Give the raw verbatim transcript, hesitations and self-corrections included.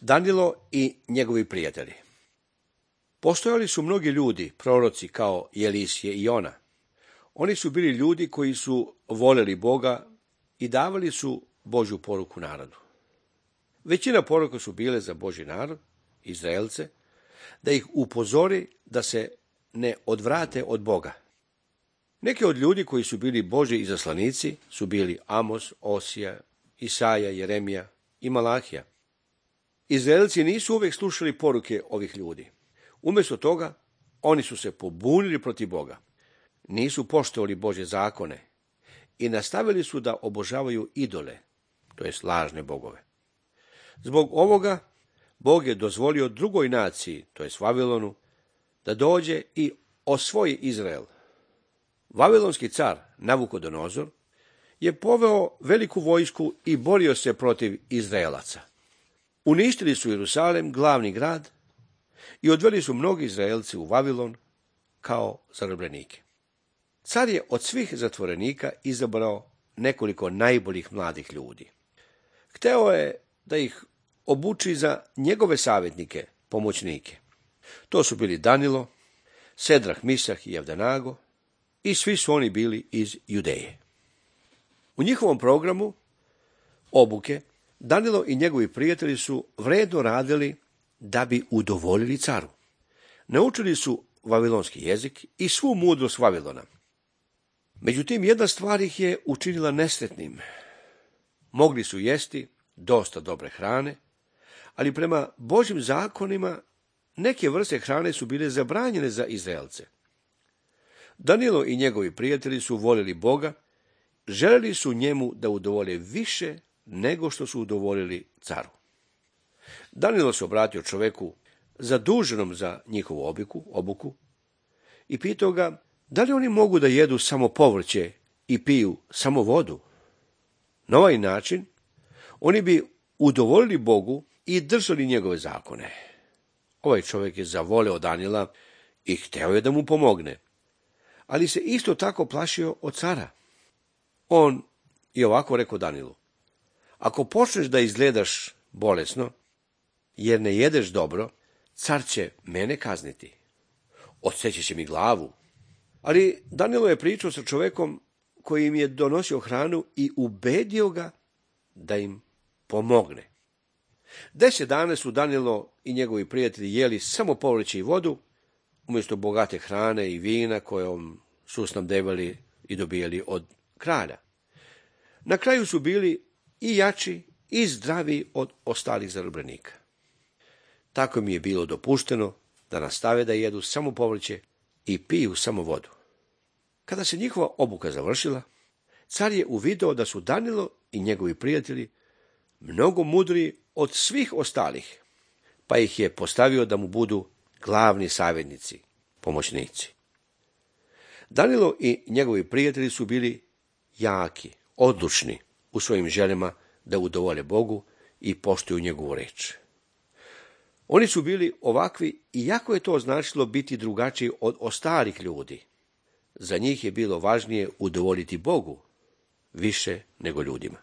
Danilo i njegovi prijatelji. Postojali su mnogi ljudi, proroci kao Elisije i Jona. Oni su bili ljudi koji su voljeli Boga i davali su Božju poruku narodu. Većina poruka su bile za Božji narod, Izraelce, da ih upozori da se ne odvrate od Boga. Neki od ljudi koji su bili Božji izaslanici su bili Amos, Osija, Isaja, Jeremija i Malahija. Izraelci nisu uvijek slušali poruke ovih ljudi. Umjesto toga, oni su se pobunili protiv Boga. Nisu poštovali Božje zakone i nastavili su da obožavaju idole, to jest lažne bogove. Zbog ovoga, Bog je dozvolio drugoj naciji, to jest Vavilonu, da dođe i osvoji Izrael. Vavilonski car Navukodonozor je poveo veliku vojsku i borio se protiv Izraelaca. Uništili su Jerusalem, glavni grad, i odveli su mnogi Izraelci u Vavilon kao zarobljenike. Car je od svih zatvorenika izabrao nekoliko najboljih mladih ljudi. Hteo je da ih obuči za njegove savjetnike, pomoćnike. To su bili Danilo, Sedrah, Misah i Avdenago, i svi su oni bili iz Judeje. U njihovom programu obuke Danilo i njegovi prijatelji su vredno radili da bi udovoljili caru. Naučili su vavilonski jezik i svu mudrost Vavilona. Međutim, jedna stvar ih je učinila nesretnim. Mogli su jesti dosta dobre hrane, ali prema Božjim zakonima neke vrste hrane su bile zabranjene za Izraelce. Danilo i njegovi prijatelji su voljeli Boga, željeli su njemu da udovolje više nego što su udovoljili caru. Danilo se obratio čoveku zaduženom za njihovu obuku, obuku i pitao ga da li oni mogu da jedu samo povrće i piju samo vodu. Na ovaj način oni bi udovoljili Bogu i držali njegove zakone. Ovaj čovjek je zavoleo Danila i hteo je da mu pomogne, ali se isto tako plašio od cara. On je ovako rekao Danilu: ako počneš da izgledaš bolesno, jer ne jedeš dobro, car će mene kazniti. Odseći će mi glavu. Ali Danilo je pričao sa čovekom koji im je donosio hranu i ubedio ga da im pomogne. Deset dana su Danilo i njegovi prijatelji jeli samo povrće i vodu, umjesto bogate hrane i vina kojom su snabdevali i dobijali od kralja. Na kraju su bili i jači i zdravi od ostalih zarobljenika. Tako mi je bilo dopušteno da nastave da jedu samo povrće i piju samo vodu. Kada se njihova obuka završila, car je uvideo da su Danilo i njegovi prijatelji mnogo mudriji od svih ostalih, pa ih je postavio da mu budu glavni savjetnici, pomoćnici. Danilo i njegovi prijatelji su bili jaki, odlučni u svojim željama da udovolje Bogu i poštuju njegovu reč. Oni su bili ovakvi, iako je to značilo biti drugačiji od ostalih ljudi. Za njih je bilo važnije udovoljiti Bogu više nego ljudima.